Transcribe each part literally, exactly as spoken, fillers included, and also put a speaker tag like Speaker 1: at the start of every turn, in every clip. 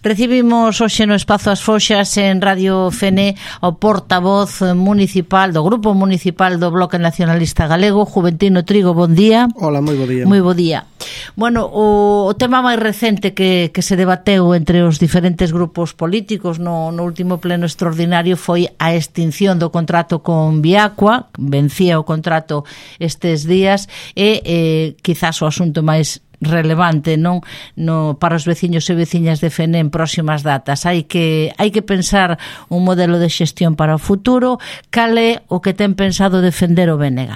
Speaker 1: Recibimos hoxe no Espazo As Foxas en Radio Fene ao portavoz municipal do Grupo Municipal do Bloque Nacionalista Galego, Juventino Trigo. Bon día.
Speaker 2: Hola, moi bo día.
Speaker 1: Moi bo día. Bueno, o, o tema máis recente que, que se debateu entre os diferentes grupos políticos no, no último pleno extraordinario foi a extinción do contrato con Viacua. Vencía o contrato estes días e eh, quizás o asunto máis relevante, non, no para os veciños e veciñas de Fene en próximas datas. Hai que hai que pensar un modelo de xestión para o futuro. Cal é o que ten pensado defender o B N G?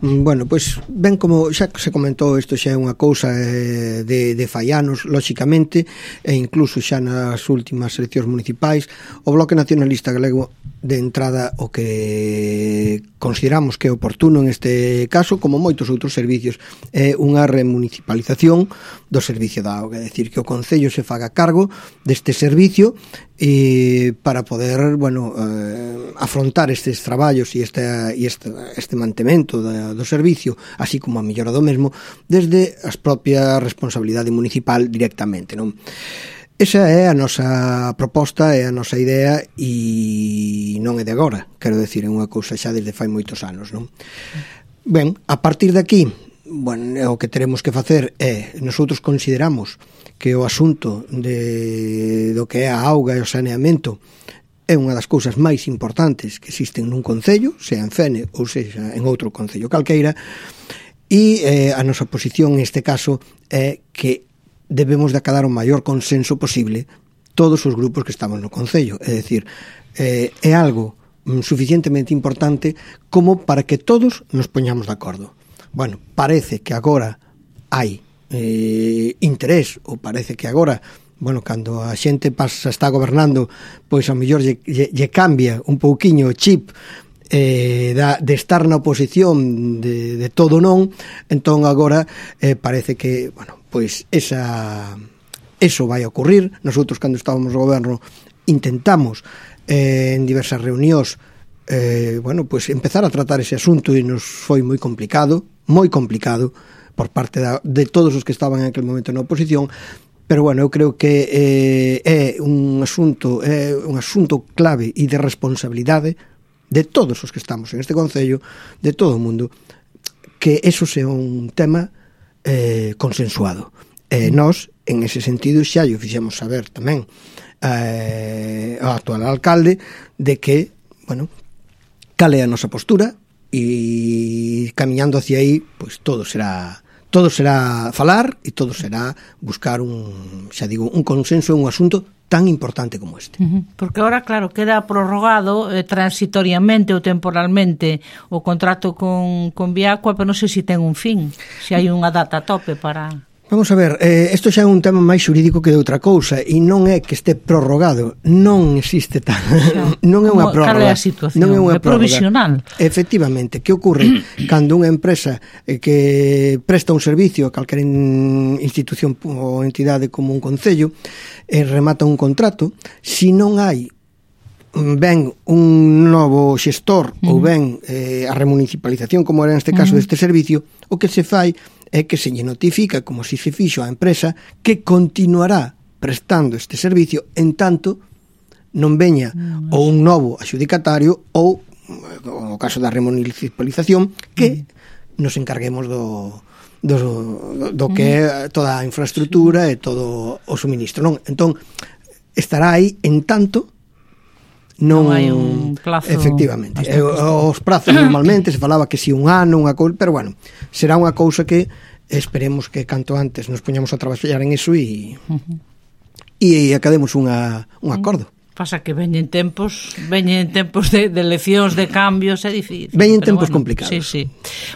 Speaker 2: Bueno, pois ben, como xa se comentou, isto xa é unha cousa eh, de, de fai anos, lóxicamente, e incluso xa nas últimas eleccións municipais, o Bloque Nacionalista Galego, de entrada, o que consideramos que é oportuno en este caso, como moitos outros servicios, é unha remunicipalización do servicio da auga, é dicir, que o Concello se faga cargo deste servicio e para poder, bueno, eh, afrontar estes traballos e este, e este, este mantemento da, do servicio, así como a mellora do mesmo, desde as propia responsabilidade municipal directamente, non? Esa é a nosa proposta, é a nosa idea e non é de agora, quero decir, é unha cousa xa desde fai moitos anos, non? Ben, a partir de aquí, bueno, o que teremos que facer é, nosotros consideramos que o asunto de, do que é a auga e o saneamento é unha das cousas máis importantes que existen nun concello, sea en Fene ou seja en outro concello calqueira, e eh, a nosa posición neste caso é que debemos de acadar o maior consenso posible todos os grupos que estamos no concello, é dicir, eh, é algo suficientemente importante como para que todos nos poñamos de acordo. Bueno, parece que agora hai eh, interés, ou parece que agora, bueno, cando a xente pasa, está gobernando, pois a mellor lle, lle, lle cambia un pouquiño o chip eh, da, de estar na oposición de, de todo non, entón agora eh, parece que, bueno, pois esa eso vai a ocurrir. Nosotros, cando estábamos no goberno, intentamos eh, en diversas reunións eh, bueno, pois empezar a tratar ese asunto e nos foi moi complicado, moi complicado por parte da, de todos os que estaban en aquel momento na oposición, pero bueno, eu creo que eh, é un asunto é un asunto clave e de responsabilidade de todos os que estamos en este concello, de todo o mundo, que eso sea un tema eh, consensuado. E nós, en ese sentido, xa lle fixemos saber tamén eh, ao actual alcalde de que, bueno, cal é a nosa postura, e camiñando hacia aí, pois todo será todo será falar e todo será buscar un, xa digo, un consenso en un asunto tan importante como este.
Speaker 1: Uh-huh. Porque ahora, claro, queda prorrogado eh, transitoriamente ou temporalmente o contrato con, con Viacua, pero non sei se ten un fin, se hai unha data a tope para...
Speaker 2: Vamos a ver, eh, isto xa é un tema máis xurídico que de outra cousa, e non é que este prorrogado, non existe tal, non é unha prórroga.
Speaker 1: Cal é a situación? Non é unha é provisional.
Speaker 2: Efectivamente, que ocorre cando unha empresa eh, que presta un servicio a calquera institución ou entidade como un concello e eh, remata un contrato, se non hai ben un novo xestor uh-huh. ou ben eh, a remunicipalización, como era neste caso uh-huh. deste servicio, o que se fai é que se lle notifica, como se se fixo a empresa, que continuará prestando este servicio en tanto non veña uh-huh. ou un novo adxudicatario ou, no caso da remunicipalización, que uh-huh. nos encarguemos do do, do que é toda a infraestructura e todo o suministro, non? Entón, estará aí en tanto non,
Speaker 1: non hai un plazo.
Speaker 2: Efectivamente, e, os prazos normalmente se falaba que si un ano, unha cousa, pero bueno, será unha cousa que esperemos que canto antes nos poñamos a traballar en eso e uh-huh. e academos unha, un acordo.
Speaker 1: Pasa que veñen tempos, veñen tempos de, de eleccións, de cambios, é difícil.
Speaker 2: Veñen tempos
Speaker 1: bueno,
Speaker 2: complicados.
Speaker 1: Sí, sí.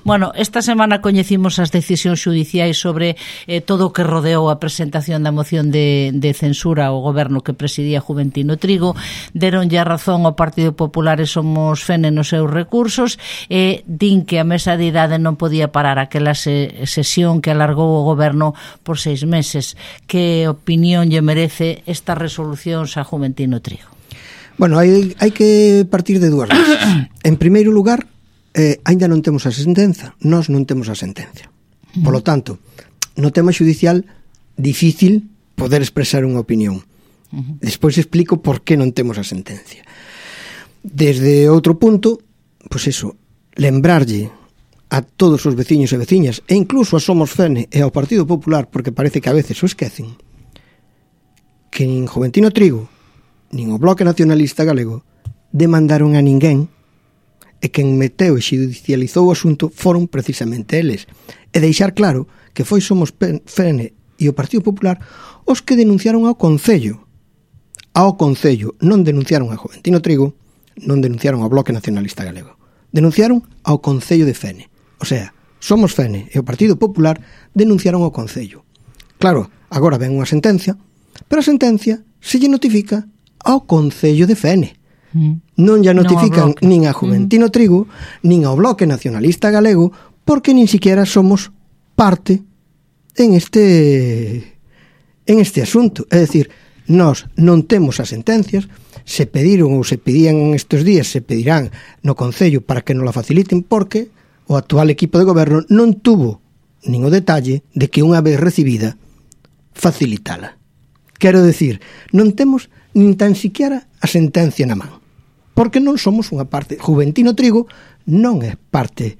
Speaker 1: Bueno, esta semana coñecimos as decisións xudiciais sobre eh, todo o que rodeou a presentación da moción de, de censura ao goberno que presidía Juventino Trigo. Deronlle a razón ao Partido Popular e Somos Fene nos seus recursos e din que a mesa de idade non podía parar aquela se, sesión que alargou o goberno por seis meses. Que opinión lle merece estas resolucións a Juventino Trigo?
Speaker 2: Bueno, hai, hai que partir de dúas bases. En primeiro lugar, eh, ainda non temos a sentenza, nós non temos a sentencia. Por lo tanto, no tema xudicial, difícil poder expresar unha opinión. Uh-huh. Despois explico por que non temos a sentencia. Desde outro punto, pois eso, lembrarlle a todos os veciños e veciñas, e incluso a Somos Fene e ao Partido Popular, porque parece que a veces o esquecen, que nin Joventino Trigo nin o Bloque Nacionalista Galego demandaron a ninguén, e quen meteu e xudicializou o asunto foron precisamente eles. E deixar claro que foi Somos Fene e o Partido Popular os que denunciaron ao Concello. Ao Concello, non denunciaron a Joventino Trigo, non denunciaron ao Bloque Nacionalista Galego. Denunciaron ao Concello de Fene. O sea, Somos Fene e o Partido Popular denunciaron ao Concello. Claro, agora ven unha sentencia, pero a sentencia se lle notifica ao Concello de Fene. Non lle notifican no nin a Juventino Trigo, nin ao Bloque Nacionalista Galego, porque nin siquiera somos parte en este en este asunto. É dicir, nós non temos as sentencias, se pediron ou se pedían estes días, se pedirán no Concello para que nos la faciliten, porque o actual equipo de goberno non tuvo nin o detalle de que unha vez recibida facilitala. Quero decir, non temos nin tan siquiera a sentencia na man, porque non somos unha parte. Juventino Trigo non é parte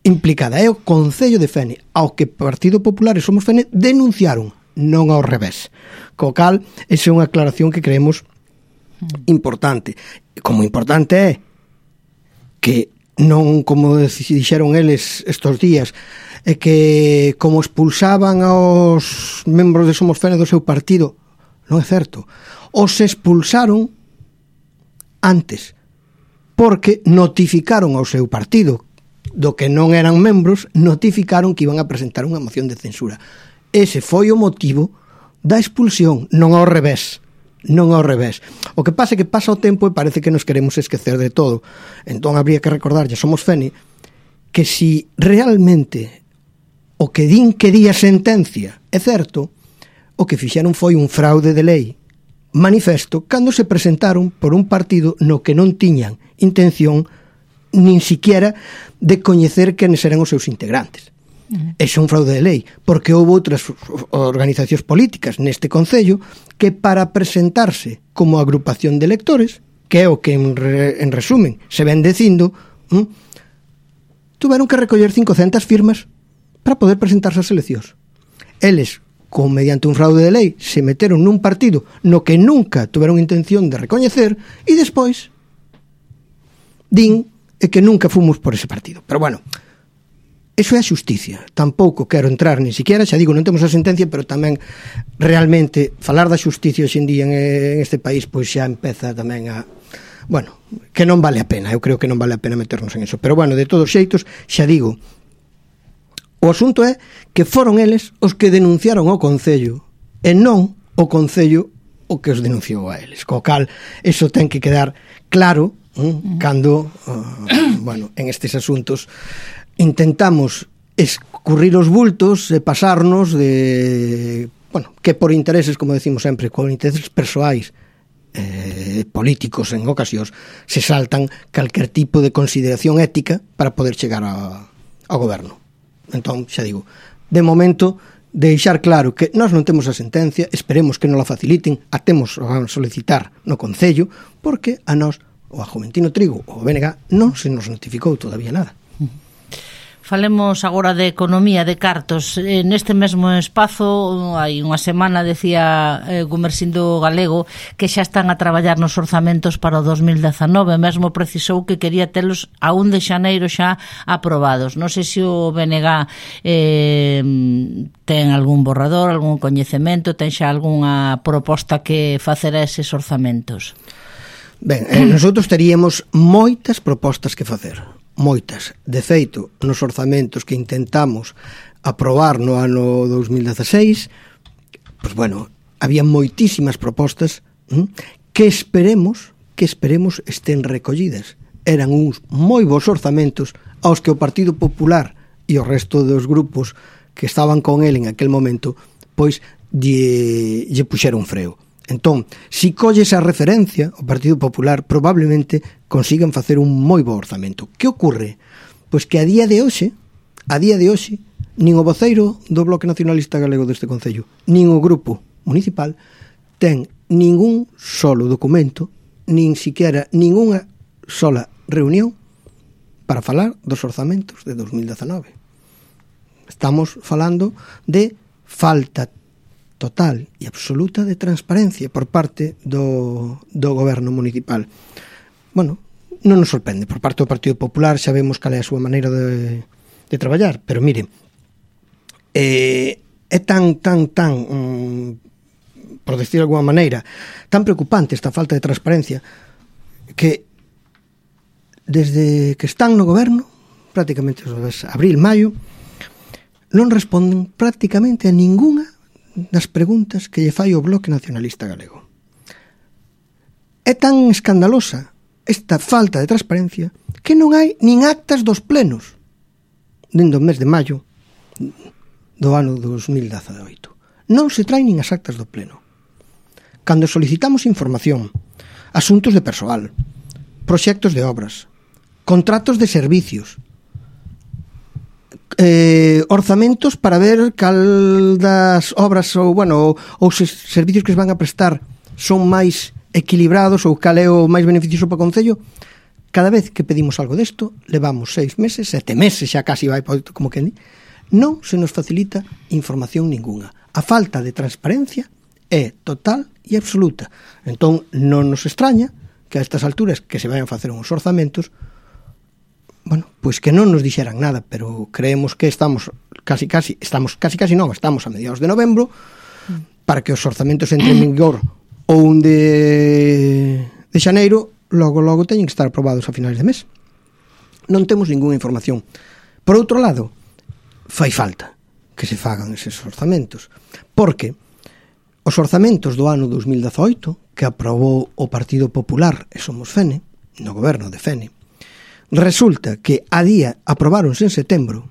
Speaker 2: implicada, é o Concello de Fene, ao que Partido Popular e Somos Fene denunciaron, non ao revés. Co cal, esa é unha aclaración que creemos importante. Como importante é que non, como dixeron eles estos días, é que como expulsaban aos membros de Somos Fene do seu partido, non é certo. Os expulsaron antes, porque notificaron ao seu partido do que non eran membros, notificaron que iban a presentar unha moción de censura. Ese foi o motivo da expulsión, non ao revés. Non ao revés. O que pasa é que pasa o tempo e parece que nos queremos esquecer de todo. Entón habría que recordarlle a Somos Fene que si realmente o que din que di a sentencia é certo, o que fixeron foi un fraude de lei manifesto cando se presentaron por un partido no que non tiñan intención nin siquiera de coñecer quenes eran os seus integrantes. Uh-huh. Ese é un fraude de lei, porque houve outras organizacións políticas neste Concello que para presentarse como agrupación de electores, que é o que en, re, en resumen se ven dicindo, hm, tuveron que recoller cincocentas firmas para poder presentarse ás eleccións. Eles, con mediante un fraude de lei, se meteron nun partido no que nunca tuveron intención de recoñecer e despois din que nunca fomos por ese partido. Pero bueno, eso é a xusticia. Tampouco quero entrar ni siquiera, xa digo, non temos a sentencia, pero tamén realmente falar da xusticia hoxe en día en este país pois xa empeza tamén a, bueno, que non vale a pena. Eu creo que non vale a pena meternos en eso. Pero bueno, de todos xeitos, xa digo, o asunto é que foron eles os que denunciaron ao Concello e non o Concello o que os denunciou a eles. Co cal, eso ten que quedar claro mm, cando, uh, bueno, en estes asuntos intentamos escurrir os bultos e pasarnos de, bueno, que por intereses, como decimos sempre, con intereses persoais eh, políticos en ocasións, se saltan calquer tipo de consideración ética para poder chegar a, ao goberno. Entón, xa digo, de momento, deixar claro que nós non temos a sentencia, esperemos que non la faciliten, a temos a solicitar no Concello, porque a nós, ou a Juventino Trigo, ou a B N G, non se nos notificou todavía nada.
Speaker 1: Falemos agora de economía, de cartos. Neste mesmo espazo, hai unha semana, decía eh, Gumersindo Galego, que xa están a traballar nos orzamentos para o dos mil dezanove, mesmo precisou que quería telos a un de xaneiro xa aprobados. Non sei se o B N G eh, ten algún borrador, algún coñecemento, ten xa algunha proposta que facer a eses orzamentos.
Speaker 2: Ben, eh, nosotros teríamos moitas propostas que facer. Moitas. De feito, nos orzamentos que intentamos aprobar no ano dos mil dezaseis, pois bueno, había moitísimas propostas hm, que esperemos que esperemos estén recollidas. Eran uns moi bons orzamentos aos que o Partido Popular e o resto dos grupos que estaban con el en aquel momento, pois lle, lle puxeron freo. Entón, si colle esa referencia, o Partido Popular probablemente consigan facer un moi bo orzamento. Que ocorre? Pois que a día de hoxe, a día de hoxe, nin o voceiro do Bloque Nacionalista Galego deste Concello, nin o grupo municipal ten ningún solo documento, nin siquiera ninguna sola reunión para falar dos orzamentos de dos mil dezanove. Estamos falando de falta total e absoluta de transparencia por parte do, do goberno municipal. Bueno, non nos sorprende, por parte do Partido Popular sabemos cal é a súa maneira de, de traballar, pero mire, eh, é tan, tan, tan, um, por decir de alguma maneira, tan preocupante esta falta de transparencia que desde que están no goberno, prácticamente abril, maio, non responden prácticamente a ninguna das preguntas que lle fai o Bloque Nacionalista Galego. É tan escandalosa esta falta de transparencia que non hai nin actas dos plenos dentro do mes de maio do ano dos mil dezaoito. Non se traen nin as actas do pleno. Cando solicitamos información, asuntos de persoal, proxectos de obras, contratos de servicios, eh, orzamentos para ver cal das obras ou, bueno, ou se servicios que se van a prestar son máis equilibrados ou cal é o máis beneficioso para o Concello, cada vez que pedimos algo desto, levamos seis meses, sete meses, xa casi vai como que non se nos facilita información ninguna. A falta de transparencia é total e absoluta. Entón, non nos extraña que a estas alturas que se vayan a facer uns orzamentos, bueno, pois que non nos dixeran nada, pero creemos que estamos casi casi, estamos casi casi non, estamos a mediados de novembro, para que os orzamentos entren en vigor ou un de, de xaneiro, logo logo teñen que estar aprobados a finales de mes. Non temos ninguna información. Por outro lado, fai falta que se fagan eses orzamentos, porque os orzamentos do ano dos mil dezaoito, que aprobou o Partido Popular e Somos Fene, no goberno de Fene, resulta que a día aprobáronse en setembro,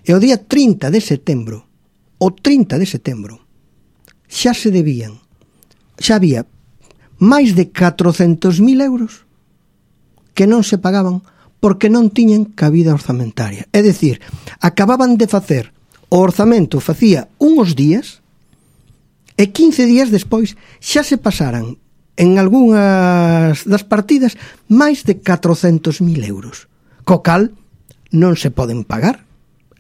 Speaker 2: e o día trinta de setembro, o trinta de setembro, xa se debían, xa había máis de catrocentos mil euros que non se pagaban porque non tiñan cabida orzamentaria. É dicir, acababan de facer o orzamento facía uns días e quince días despois xa se pasaran en algunhas das partidas máis de catrocentos mil euros, co cal non se poden pagar,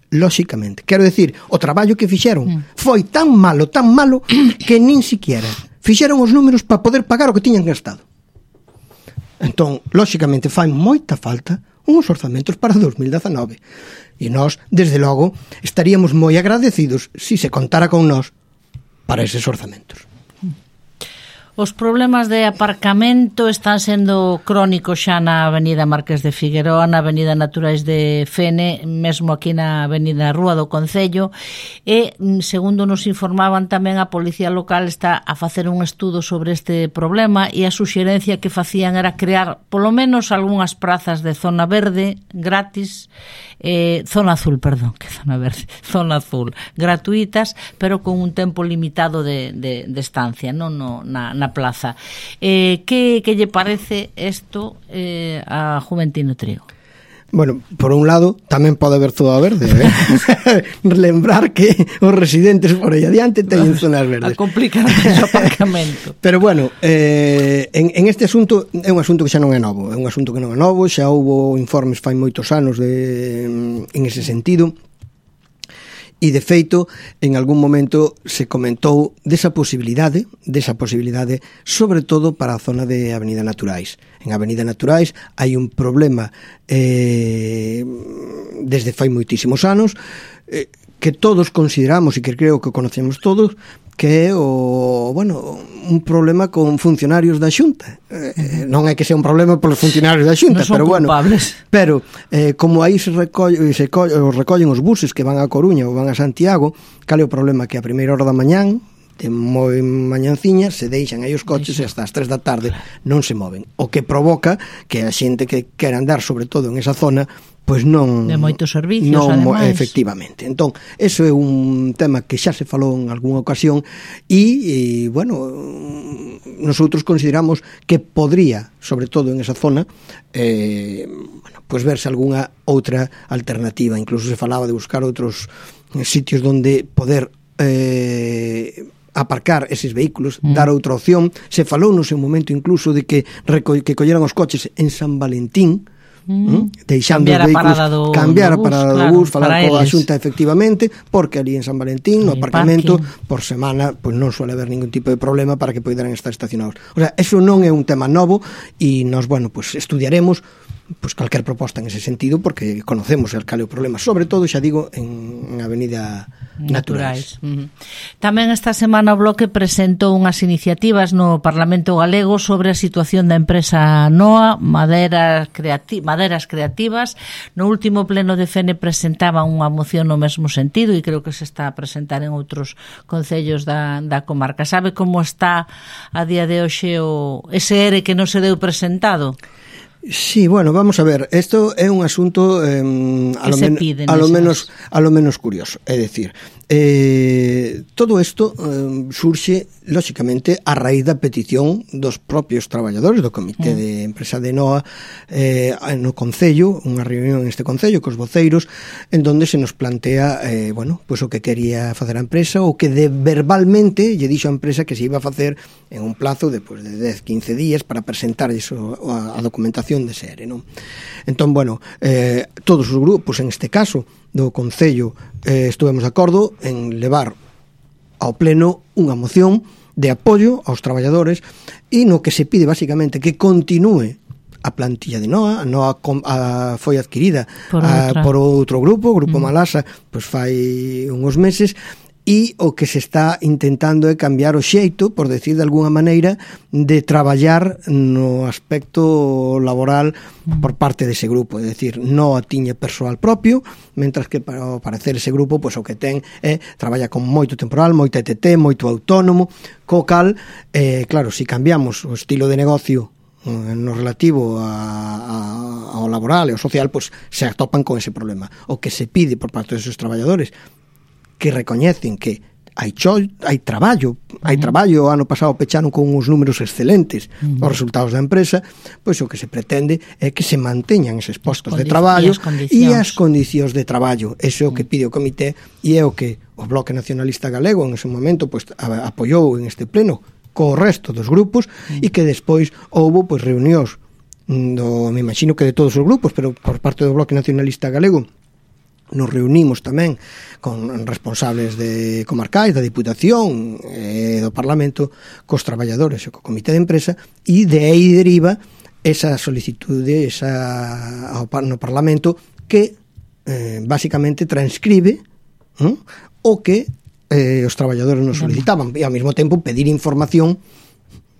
Speaker 2: lóxicamente. Quero decir, o traballo que fixeron foi tan malo, tan malo, que nin siquiera fixeron os números para poder pagar o que tiñan gastado. Entón, lóxicamente, fai moita falta uns orzamentos para dos mil dezanove. E nós, desde logo, estaríamos moi agradecidos si se contara con nós para eses orzamentos.
Speaker 1: Os problemas de aparcamento están sendo crónicos xa na avenida Marqués de Figueroa, na avenida Naturais de Fene, mesmo aquí na avenida Rúa do Concello, e, segundo nos informaban tamén, a Policía Local está a facer un estudo sobre este problema e a suxerencia que facían era crear polo menos algunhas prazas de zona verde gratis, eh, zona azul, perdón, que zona verde, zona azul, gratuitas, pero con un tempo limitado de, de, de estancia, non no, na, na plaza. Eh, que, que lle parece isto eh, a Juventino Trigo?
Speaker 2: Bueno, por un lado, tamén pode haber zona verde, eh? Lembrar que os residentes por aí adiante teñen zonas verdes.
Speaker 1: A complicar o aparcamento.
Speaker 2: Pero bueno, eh, en, en este asunto é un asunto que xa non é novo, é un asunto que non é novo, xa houbo informes fai moitos anos de, en ese sentido. E, de feito, en algún momento se comentou desa posibilidade, desa posibilidade, sobre todo para a zona de Avenida Naturais. En Avenida Naturais hai un problema eh, desde fai moitísimos anos, eh, que todos consideramos e que creo que conocemos todos, que é o, bueno, un problema con funcionarios da Xunta. Eh, non é que sea un problema polos funcionarios da Xunta,
Speaker 1: no
Speaker 2: pero bueno,
Speaker 1: culpables.
Speaker 2: Pero eh, como aí se, recolle, se colle, recollen os buses que van a Coruña ou van a Santiago, cal é o problema? Que a primeira hora da mañán, de moi mañanciña, se deixan aí os coches e hasta as tres da tarde non se moven, o que provoca que a xente que quera andar, sobre todo en esa zona, pois non...
Speaker 1: De moitos servicios,
Speaker 2: non,
Speaker 1: ademais.
Speaker 2: Efectivamente. Entón, eso é un tema que xa se falou en algunha ocasión e, e bueno, nosotros consideramos que podría, sobre todo en esa zona, eh, bueno, pois verse algunha outra alternativa. Incluso se falaba de buscar outros sitios donde poder eh, aparcar eses vehículos, mm. dar outra opción. Se falou no seu momento incluso de que reco que colleran os coches en San Valentín, mm. deixando
Speaker 1: cambiar
Speaker 2: os vehículos,
Speaker 1: a parada do,
Speaker 2: cambiar
Speaker 1: do bus,
Speaker 2: a parada
Speaker 1: claro,
Speaker 2: do bus, falar coa
Speaker 1: eles.
Speaker 2: Xunta efectivamente, porque ali en San Valentín, no
Speaker 1: Hay
Speaker 2: aparcamento,
Speaker 1: parking.
Speaker 2: por semana, pois pues non suele haber ningún tipo de problema para que poideran estar estacionados. O sea, eso non é un tema novo e nós, bueno, pues estudiaremos pues calquer proposta en ese sentido, porque conocemos el cal é o problema, sobre todo, xa digo, en, en Avenida Naturais.
Speaker 1: Naturais. Uh-huh. Tamén esta semana o Bloque presentou unhas iniciativas no Parlamento Galego sobre a situación da empresa Noa, Maderas, Creati- Maderas Creativas. No último pleno de F N presentaba unha moción no mesmo sentido e creo que se está a presentar en outros concellos da, da comarca. Sabe como está a día de hoxe o ese E R E que non se deu presentado?
Speaker 2: Sí, bueno, vamos a ver, esto é un asunto eh, a, lo men a lo menos a lo menos curioso, é dicir, eh, todo isto eh, surxe lóxicamente a raíz da petición dos propios traballadores do Comité mm. de Empresa de Noa eh, no Concello, unha reunión neste Concello cos voceiros, en donde se nos plantea eh, bueno, pues o que quería facer a empresa, o que de verbalmente lle dixo a empresa que se iba a facer en un plazo de, pues, de dez, quince días para presentar iso, a, a documentación de ese E R E, non? Entón, bueno, eh, todos os grupos, en este caso do Concello, eh, estuvemos de acordo en levar ao pleno unha moción de apoio aos traballadores e no que se pide basicamente que continúe a plantilla de Noa. A Noa com, a, foi adquirida
Speaker 1: por,
Speaker 2: a, por outro grupo, o Grupo mm. Malasa, pois fai uns meses, e o que se está intentando é cambiar o xeito, por decir de alguna maneira, de traballar no aspecto laboral por parte dese grupo, é dicir, non tiña persoal propio, mentras que para parecer ese grupo, pois o que ten é traballa con moito temporal, moito E T T, moito autónomo, co cal, eh, claro, se si cambiamos o estilo de negocio no relativo a, a, ao laboral e ao social, pois se atopan con ese problema. O que se pide por parte deses traballadores que recoñecen que hai cho, hai traballo, hai traballo, o ano pasado pecharon con uns números excelentes uh-huh. os resultados da empresa, pois o que se pretende é que se manteñan eses postos de traballo e as condicións de traballo. Eso é o que pide o comité e é o que o Bloque Nacionalista Galego en ese momento pois apoiou en este pleno co resto dos grupos uh-huh. e que despois houbo pois reunións do, me imagino que de todos os grupos, pero por parte do Bloque Nacionalista Galego nos reunimos tamén con responsables de comarcais, da Diputación e do Parlamento, cos traballadores e co Comité de Empresa, e de aí deriva esa solicitude esa, ao, no Parlamento que eh, basicamente transcribe ¿no? o que eh, os traballadores nos solicitaban e ao mesmo tempo pedir información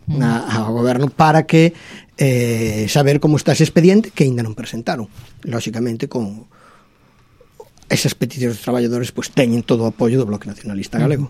Speaker 2: na, ao goberno para que eh, saber como está ese expediente que ainda non presentaron, lóxicamente con esas peticións dos traballadores pois teñen todo o apoio do Bloque Nacionalista Galego.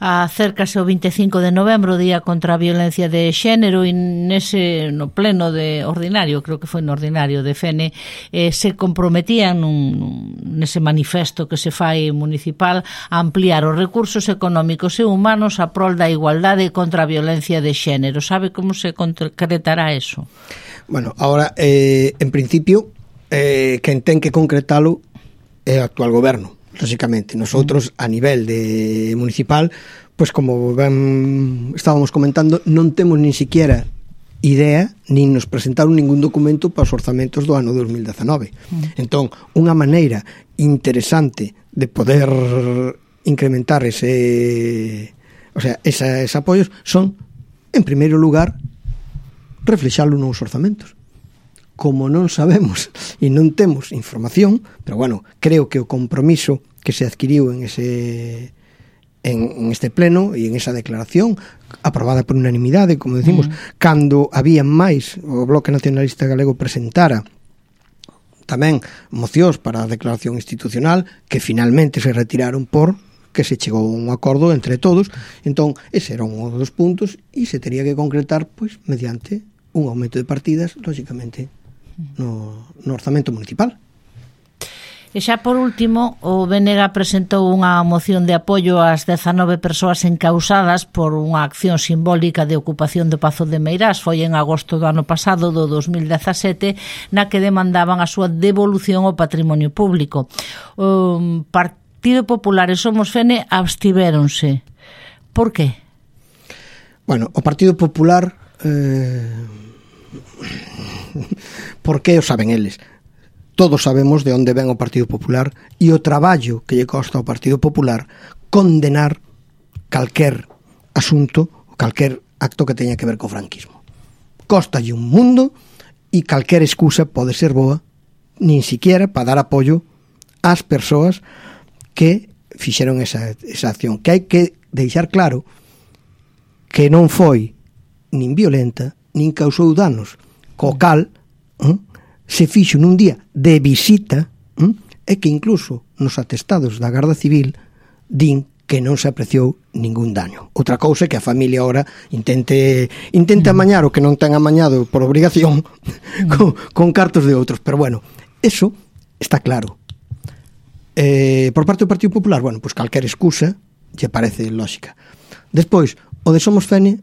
Speaker 1: Acércase o vinte e cinco de novembro, Día contra a Violencia de Xénero, e nese no pleno de ordinario, creo que foi no ordinario de F N, eh, se comprometían nun, nese manifesto que se fai municipal a ampliar os recursos económicos e humanos a prol da igualdade contra a violencia de xénero. Sabe como se concretará eso?
Speaker 2: Bueno, ahora, eh, en principio, eh, quen ten que concretalo é o actual goberno, lógicamente. Nosotros, a nivel de municipal, pues como ben estábamos comentando, non temos nin siquiera idea, nin nos presentaron ningún documento para os orzamentos do ano dos mil dezenove. Mm. Entón, unha maneira interesante de poder incrementar ese, o sea, esa, ese apoios son, en primeiro lugar, reflexalo nos orzamentos. Como non sabemos e non temos información, pero bueno, creo que o compromiso que se adquiriu en ese en, en este pleno e en esa declaración aprobada por unanimidade, como decimos, uh-huh. cando había máis o Bloque Nacionalista Galego presentara tamén mocións para a declaración institucional que finalmente se retiraron por que se chegou a un acordo entre todos. Entón, ese era un dos puntos e se tería que concretar pois mediante un aumento de partidas, lógicamente No, no orzamento municipal.
Speaker 1: E xa por último, o B N G presentou unha moción de apoio ás dezanove persoas encausadas por unha acción simbólica de ocupación do Pazo de Meirás. Foi en agosto do ano pasado, do dos mil dezasete, na que demandaban a súa devolución ao patrimonio público. O Partido Popular e Somos F N abstivéronse. Por qué?
Speaker 2: Bueno, o Partido Popular eh, por que o saben eles? Todos sabemos de onde ven o Partido Popular e o traballo que lle costa ao Partido Popular condenar calquer asunto, calquer acto que teña que ver co franquismo. Costalle un mundo e calquer excusa pode ser boa, nin siquiera para dar apoio ás persoas que fixeron esa, esa acción. Que hai que deixar claro que non foi nin violenta, nin causou danos, co cal eh, se fixo nun día de visita eh, e que incluso nos atestados da Garda Civil din que non se apreciou ningún daño. Outra cousa é que a familia ahora intente intente amañar o que non ten amañado por obrigación con, con cartos de outros, pero bueno, eso está claro. Eh, por parte do Partido Popular, bueno, pois calquer excusa lle parece lógica. Despois, o de Somos Fene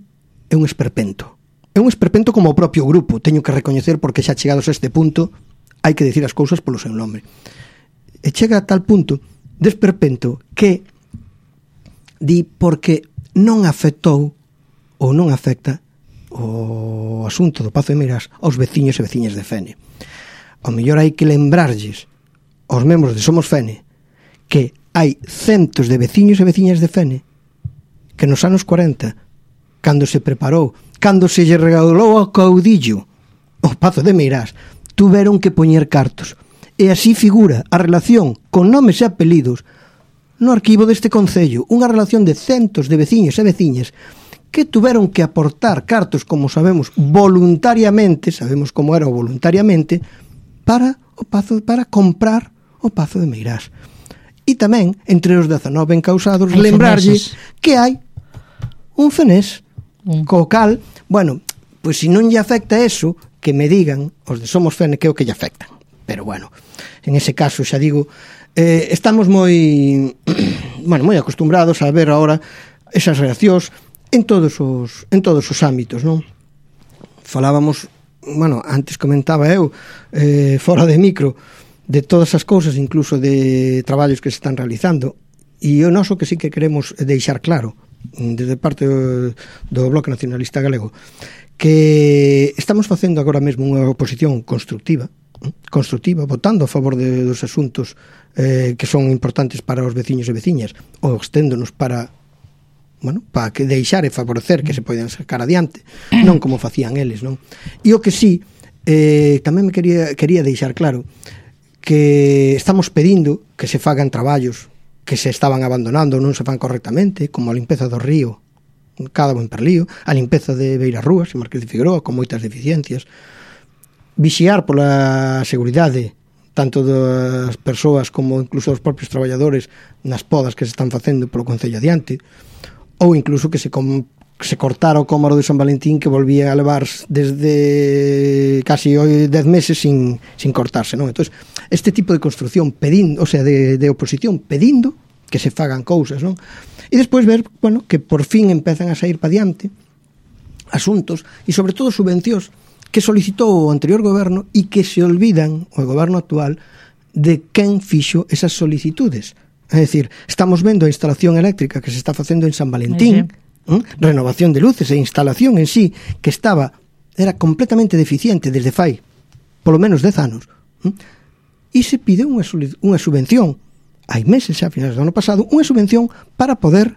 Speaker 2: é un esperpento. É un esperpento como o propio grupo, teño que recoñecer, porque xa chegados a este punto hai que decir as cousas polo seu nome. E chega a tal punto de esperpento que di porque non afectou ou non afecta o asunto do Pazo de Meirás aos veciños e veciñas de Fene. Ao mellor hai que lembrarlles aos membros de Somos Fene que hai centos de veciños e veciñas de Fene que nos anos cuarenta, cando se preparou, cando se lle regalou ao caudillo o Pazo de Meirás, tuveron que poñer cartos. E así figura a relación con nomes e apelidos no arquivo deste concello, unha relación de centos de veciños e veciñas que tuveron que aportar cartos, como sabemos, voluntariamente, sabemos como era o voluntariamente, para o Pazo, para comprar o Pazo de Meirás. E tamén, entre os dezanove encausados, lembrarlle que hai un fenés, mm. co cal, bueno, pois se non lle afecta eso, que me digan os de Somos Fene que é o que lle afectan. Pero bueno, en ese caso, xa digo, eh, estamos moi bueno, moi acostumbrados a ver ahora esas reaccións en todos os en todos os ámbitos, non? Falábamos, bueno, antes comentaba eu eh, fora de micro de todas as cousas, incluso de traballos que se están realizando, e o noso que sí que queremos deixar claro desde parte do, do Bloque Nacionalista Galego, que estamos facendo agora mesmo unha oposición constructiva, constructiva, votando a favor de, dos asuntos eh, que son importantes para os veciños e veciñas, ou exténdonos para, bueno, para que deixar e favorecer que se poidan sacar adiante, non como facían eles, non? E o que sí, eh, tamén me quería, quería deixar claro que estamos pedindo que se fagan traballos que se estaban abandonando ou non se fan correctamente, como a limpeza do río Cádabo en Perlío, a limpeza de Beirarrúas e Marqués de Figueroa, con moitas deficiencias, vixiar pola seguridade tanto das persoas como incluso dos propios traballadores nas podas que se están facendo polo Concello adiante, ou incluso que se, com, se cortara o cómaro de San Valentín, que volvía a levar desde casi hoy dez meses sin, sin cortarse, non? Entón, este tipo de construcción pedindo, o sea, de, de oposición pedindo que se fagan cousas, non? E despois ver, bueno, que por fin empezan a sair pa diante asuntos e sobre todo subvencións que solicitou o anterior goberno e que se olvidan o goberno actual de quen fixo esas solicitudes. É dicir, estamos vendo a instalación eléctrica que se está facendo en San Valentín, sí, sí. ¿eh? Renovación de luces e instalación en sí que estaba, era completamente deficiente desde fai polo menos dez anos, ¿eh? E se pide unha, unha subvención, hai meses xa, a finales do ano pasado, unha subvención para poder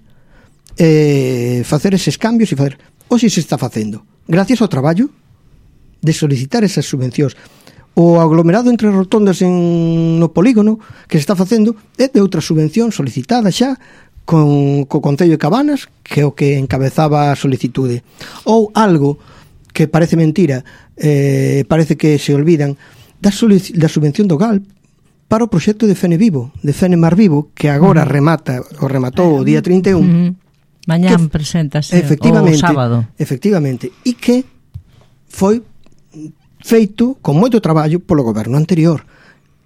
Speaker 2: eh, facer eses cambios e facer, ou se se está facendo gracias ao traballo de solicitar esas subvencións. O aglomerado entre rotondas en, no polígono que se está facendo é de outra subvención solicitada xa con, co Concello de Cabanas, que é o que encabezaba a solicitude. Ou algo que parece mentira, eh, parece que se olvidan da, da subvención do G A L P para o proxecto de Fene Vivo, de Fene Mar Vivo, que agora remata, o rematou o día trinta e un.
Speaker 1: Uh-huh. Mañán preséntase o sábado.
Speaker 2: Efectivamente, e que foi feito con moito traballo polo goberno anterior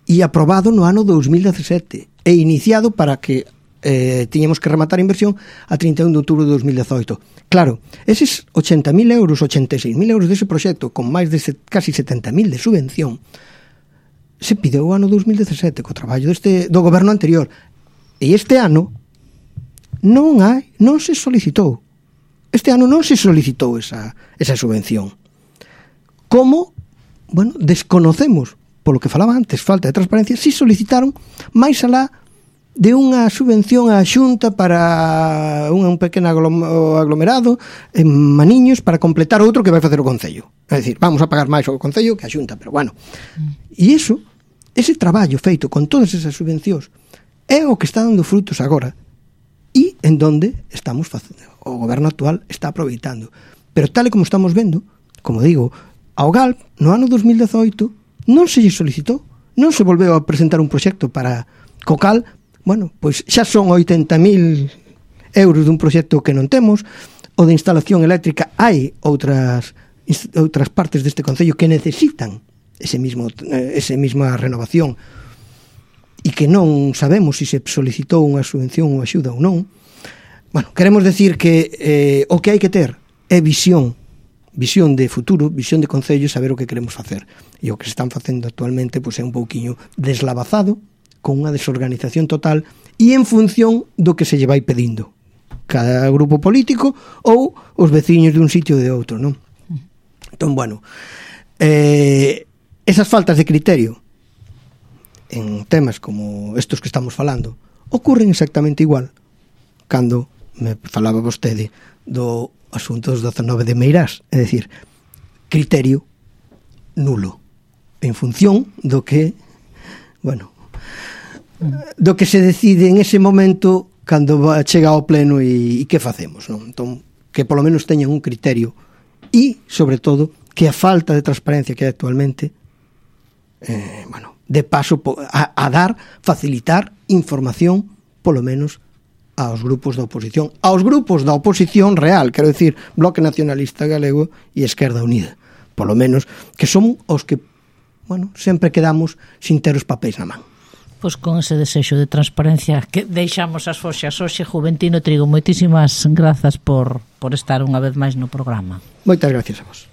Speaker 2: e aprobado no ano dous mil dezasete e iniciado para que eh, tiñamos que rematar a inversión a trinta e un de outubro de dous mil dezoito. Claro, eses ochenta mil euros, ochenta e seis mil euros dese proxecto con máis de set, casi setenta mil de subvención se pideu o ano dous mil dezasete co traballo deste, do goberno anterior, e este ano non hai, non se solicitou. Este ano non se solicitou esa, esa subvención. Como, bueno, desconocemos, polo que falaba antes, falta de transparencia, si solicitaron máis alá de unha subvención á Xunta para un, un pequeno aglomerado en Maniños para completar outro que vai facer o Concello. É dicir, vamos a pagar máis ao Concello que a Xunta, pero bueno. E iso, ese traballo feito con todas esas subvencións é o que está dando frutos agora e en donde estamos facendo, o goberno actual está aproveitando. Pero tal e como estamos vendo, como digo, ao G A L P no ano dos mil dezoito non se lle solicitou, non se volveu a presentar un proxecto para Cocal. Bueno, pois xa son oitenta mil euros dun proxecto que non temos. O de instalación eléctrica, hai outras outras partes deste concello que necesitan ese mismo ese mesma renovación e que non sabemos se se solicitou unha subvención ou axuda ou non. Bueno, queremos decir que eh, o que hai que ter é visión, visión de futuro, visión de concello, saber o que queremos facer. E o que se están facendo actualmente pois é un pouquiño deslavazado, con unha desorganización total e en función do que se lle vai pedindo cada grupo político ou os veciños de un sitio ou de outro, non? Entón, bueno, eh, esas faltas de criterio en temas como estos que estamos falando ocurren exactamente igual cando me falaba vostede do asunto dos dezanove de Meirás, é dicir, criterio nulo en función do que, bueno, do que se decide en ese momento cando chega ao pleno e, e que facemos, non? Entón, que polo menos teñan un criterio e, sobre todo, que a falta de transparencia que hai actualmente eh, bueno, de paso a, a dar, facilitar información polo menos aos grupos da oposición, aos grupos da oposición real, quero dicir, Bloque Nacionalista Galego e Esquerda Unida, polo menos, que son os que, bueno, sempre quedamos sin ter os papéis na man.
Speaker 1: Pois con ese desexo de transparencia que deixamos as foxas hoxe, Juventino Trigo, moitísimas grazas por, por estar unha vez máis no programa.
Speaker 2: Moitas gracias a vos.